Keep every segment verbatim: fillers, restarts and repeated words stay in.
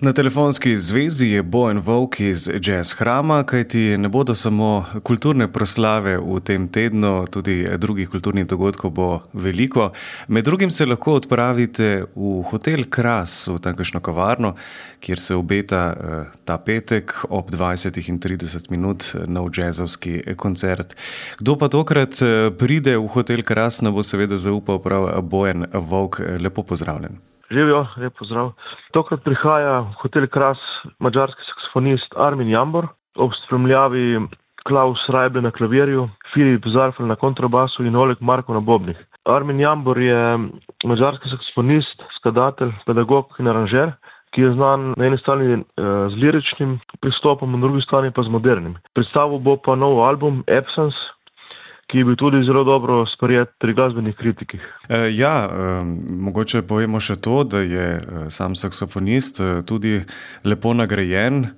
Na telefonski zvezi je Bojan Volk iz Jazz Hrama, kajti ne bodo samo kulturne proslave v tem tednu, tudi drugih kulturnih dogodkov bo veliko. Med drugim se lahko odpravite v hotel Kras, v tamkajšnjo kavarno, kjer se obeta ta petek ob dvajsetih in trideset minut nov jazzovski koncert. Kdo pa tokrat pride v hotel Kras, nam bo seveda zaupal prav Bojan Volk. Lepo pozdravljen. Živijo, lep pozdrav. Tokrat prihaja v hotel Kras madžarski saksofonist Armin Jambor, ob spremljavi Klaus Rajble na klavirju, Filip Zarfel na kontrabasu in Oleg Marko na bobnih. Armin Jambor je madžarski saksofonist, skladatelj, pedagog in aranžer, ki je znan na eni strani z liričnim pristopom, na drugi strani pa z modernim. Predstavil bo pa nov album Absence, ki je bil tudi zelo dobro sprejet pri glasbenih kritikih. E, ja, e, mogoče povemo še to, da je sam saksofonist tudi lepo nagrajen. E,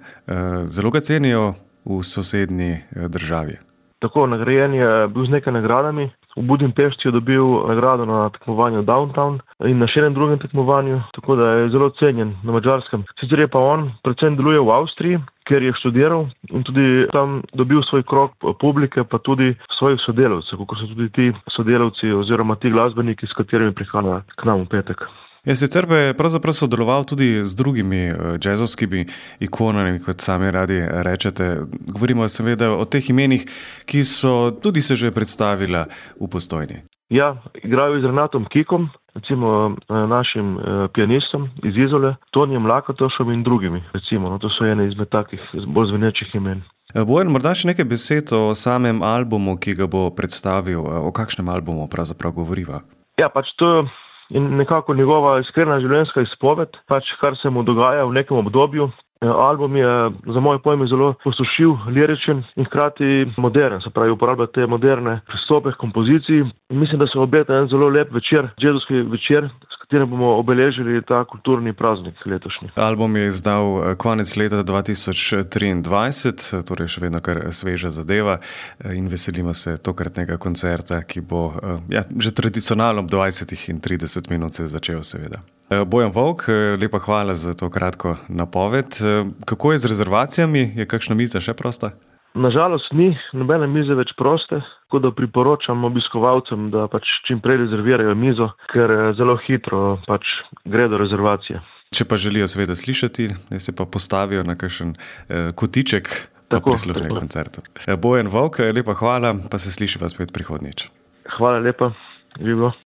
zelo ga cenijo v sosednji državi. Tako, nagrajen je bil z nekaj nagradami. V Budimpešti je dobil nagrado na tekmovanju Downtown in na še enem drugem tekmovanju, tako da je zelo cenjen na Madžarskem. Sicer je pa on predvsem deluje v Avstriji, kjer je študiral in tudi tam dobil svoj krog publike, pa tudi svojih sodelavcev, kot so tudi ti sodelavci oziroma ti glasbeniki, s katerimi prihaja k nam v petek. Ja, sicer pa je pravzaprav sodeloval tudi z drugimi jazzovskimi ikonami, kot sami radi rečete. Govorimo seveda o teh imenih, ki so tudi se že predstavila v Postojni. Ja, igrajo z Renatom Kikom, recimo našim pianistom iz Izole, Tonijem Lakatošem in drugimi. Recimo, no, to so ene izmed takih bolj zvenečih imen. Bojan, morda še nekaj besed o samem albumu, ki ga bo predstavil. O kakšnem albumu pravzaprav govoriva? Ja, pač to in nekako njegova iskrena življenjska izpoved, pač kar se mu dogaja v nekem obdobju. Album je za moje pojme zelo posušil, liričen in hkrati modern, se pravi uporablja te moderne pristope k kompoziciji. Mislim, da se obeta en zelo lep večer, jazzovski večer, s katerim bomo obeležili ta kulturni praznik letošnji. Album je izdal konec leta dva tisoč triindvajset, torej še vedno kar sveža zadeva in veselimo se tokratnega koncerta, ki bo ja, že tradicionalno ob dvajsetih in trideset minut se začel seveda. Bojan Volk, lepa hvala za to kratko napoved. Kako je z rezervacijami? Je kakšna miza še prosta? Nažalost ni, nobene mize več proste, tako da priporočam obiskovalcem, da pač čim prej rezervirajo mizo, ker zelo hitro pač gre do rezervacije. Če pa želijo seveda slišati, ne se pa postavijo na kakšen eh, kotiček, pa prisluhnejo koncertu. Bojan Volk, lepa hvala, pa se slišiva spet prihodnjič. Hvala lepa, živo.